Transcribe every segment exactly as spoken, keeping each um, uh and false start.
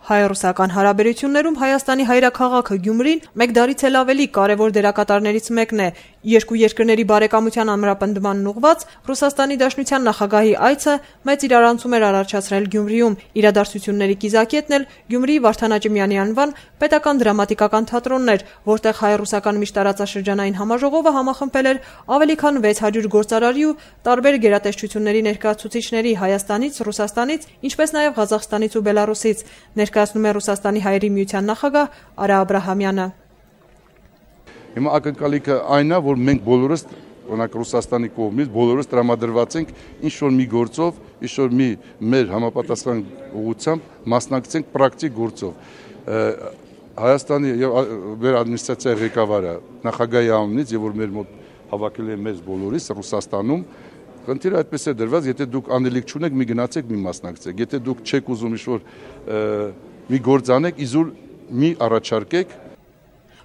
Հայ-ռուսական հարաբերություններում Հայաստանի հայրաքաղաքը Գյումրին մեկ դարից էլ ավելի կարևոր դերակատարներից մեկն է։ Երկու երկրների բարեկամության ամրապնդմանն ուղղված Ռուսաստանի Դաշնության նախագահի այցը մեծ իրարանցում էր առաջացրել Գյումրիում։ Իրադարձությունների կիզակետն էլ Գյումրիի Վարդան Աճեմյանի անվան պետական դրամատիկական թատրոնն էր, որտեղ հայ-ռուսական միջտարածաշրջանային համաժողովը համախմբել էր ավելի քան վեց հարյուր գործարարի ու տարբեր գերատեսչությունների ներկայացուցիչների Հայաստանից, Ռուսաստանից, ինչպես նաև Ղազախստանից ու Բելարուսից, ներկայացնում է Ռուսաստանի հայերի միության նախագահ Արա Աբրահամյանը։ Հիմա ակնկալիքը այն է, որ մենք բոլորս, օրինակ Ռուսաստանի կողմից, բոլորս տրամադրված ենք ինչ-որ մի գործով, ինչ-որ մի մեր համապատասխան ուղղությամբ մասնակցենք պրակտիկ գործով։ Հայաստանի եւ մեր ադմինիստրացիայի ղեկավարը նախագահի անունից եւ որ մեր մոտ հավաքել է մեզ բոլորիս Ռուսաստանում, խնդիրը այդպես է դրված, եթե դուք անելիք չունեք, մի գնացեք, մի մասնակցեք։ Եթե դուք չեք ուզում ինչ-որ մի գործ անեք, իզուր մի առաջարկեք։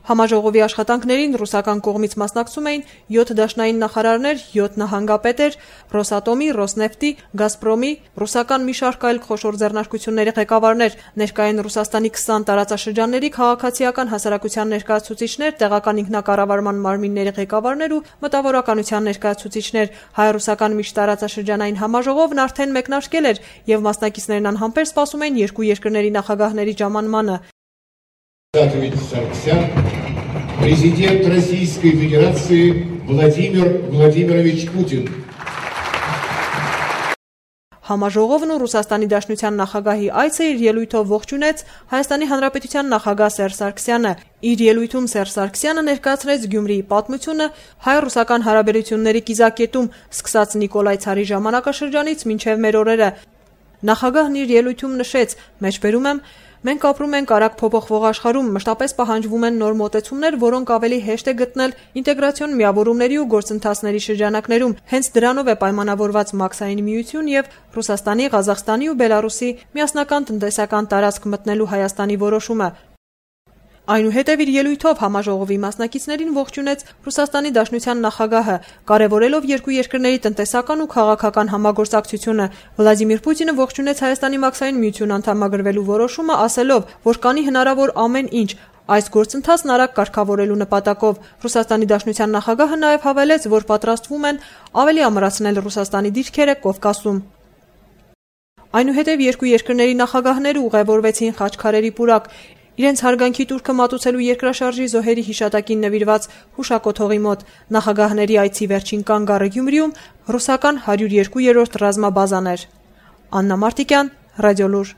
Համաժողովի աշխատանքներին ռուսական կողմից մասնակցում էին յոթ դաշնային նախարարներ, յոթ նահանգապետեր, Ռոսատոմի, Ռոսնեֆտի, Գազպրոմի, ռուսական մի շարք այլ խոշոր ձեռնարկությունների ղեկավարներ, ներկայ են Ռուսաստանի քսան տարածաշրջանների քաղաքացիական հասարակության ներկայացուցիչներ, տեղական ինքնակառավարման մարմինների ղեկավարներ ու մտավորականության ներկայացուցիչներ։ Հայ-ռուսական միջտարածաշրջանային համաժողովն արդեն մեկնարկել էր եւ մասնակիցներն անհամբեր սպասում էին երկու երկրների նախագահների ժամանմանը։ Президент Российской Федерации Владимир Владимирович Путин. Համաժողովն ու Ռուսաստանի Դաշնության նախագահի այցը իր ելույթով ողջունեց Հայաստանի Հանրապետության նախագահ Սերժ Սարգսյանը։ Իր ելույթում Սերժ Սարգսյանը ներկայացրեց Գյումրիի պատմությունը հայ-ռուսական հարաբերությունների կիզակետում, սկսած Նիկոլայ ցարի ժամանակաշրջանից մինչև մեր օրերը։ Նախագահն իր ելույթում նշեց. «Մեջբերում եմ, մենք ապրում ենք արագ փոփոխվող աշխարհում, մշտապես պահանջվում են նոր մոտեցումներ, որոնք ավելի հեշտ է գտնել ինտեգրացիոն միավորումների ու գործընթացների շրջանակներում։ Հենց դրանով է պայմանավորված Մաքսային միություն եւ Ռուսաստանի, Ղազախստանի ու Բելարուսի միասնական տնտեսական տարածք մտնելու Հայաստանի որոշումը»։ Այնուհետև իր ելույթով համաժողովի մասնակիցներին ողջունեց Ռուսաստանի Դաշնության նախագահը, կարևորելով երկու երկրների տնտեսական ու քաղաքական համագործակցությունը։ Վլադիմիր Պուտինը ողջունեց Հայաստանի Մաքսային միություն անդամագրվելու որոշումը, ասելով, որ կանի հնարավոր ամեն ինչ այս գործընթացն արագ կարգավորելու նպատակով։ Ռուսաստանի Դաշնության նախագահը նաև հավելեց, որ պատրաստվում են ավելի ամրացնել Ռուսաստանի դիրքերը Կովկասում։ Այնուհետև երկու երկրների նախագահները ուղևորվեցին Խաչքարերի պուրակ, իրենց հարգանքի տուրքը մատուցելու երկրաշարժի զոհերի հիշատակին նվիրված հուշակոթողի մոտ։ Նախագահների այցի վերջին կանգառը Գյումրիում ռուսական հարյուր երկու երրորդ ռազմաբազան էր։ Աննա Մարտիկյան, Ռադիոլուր։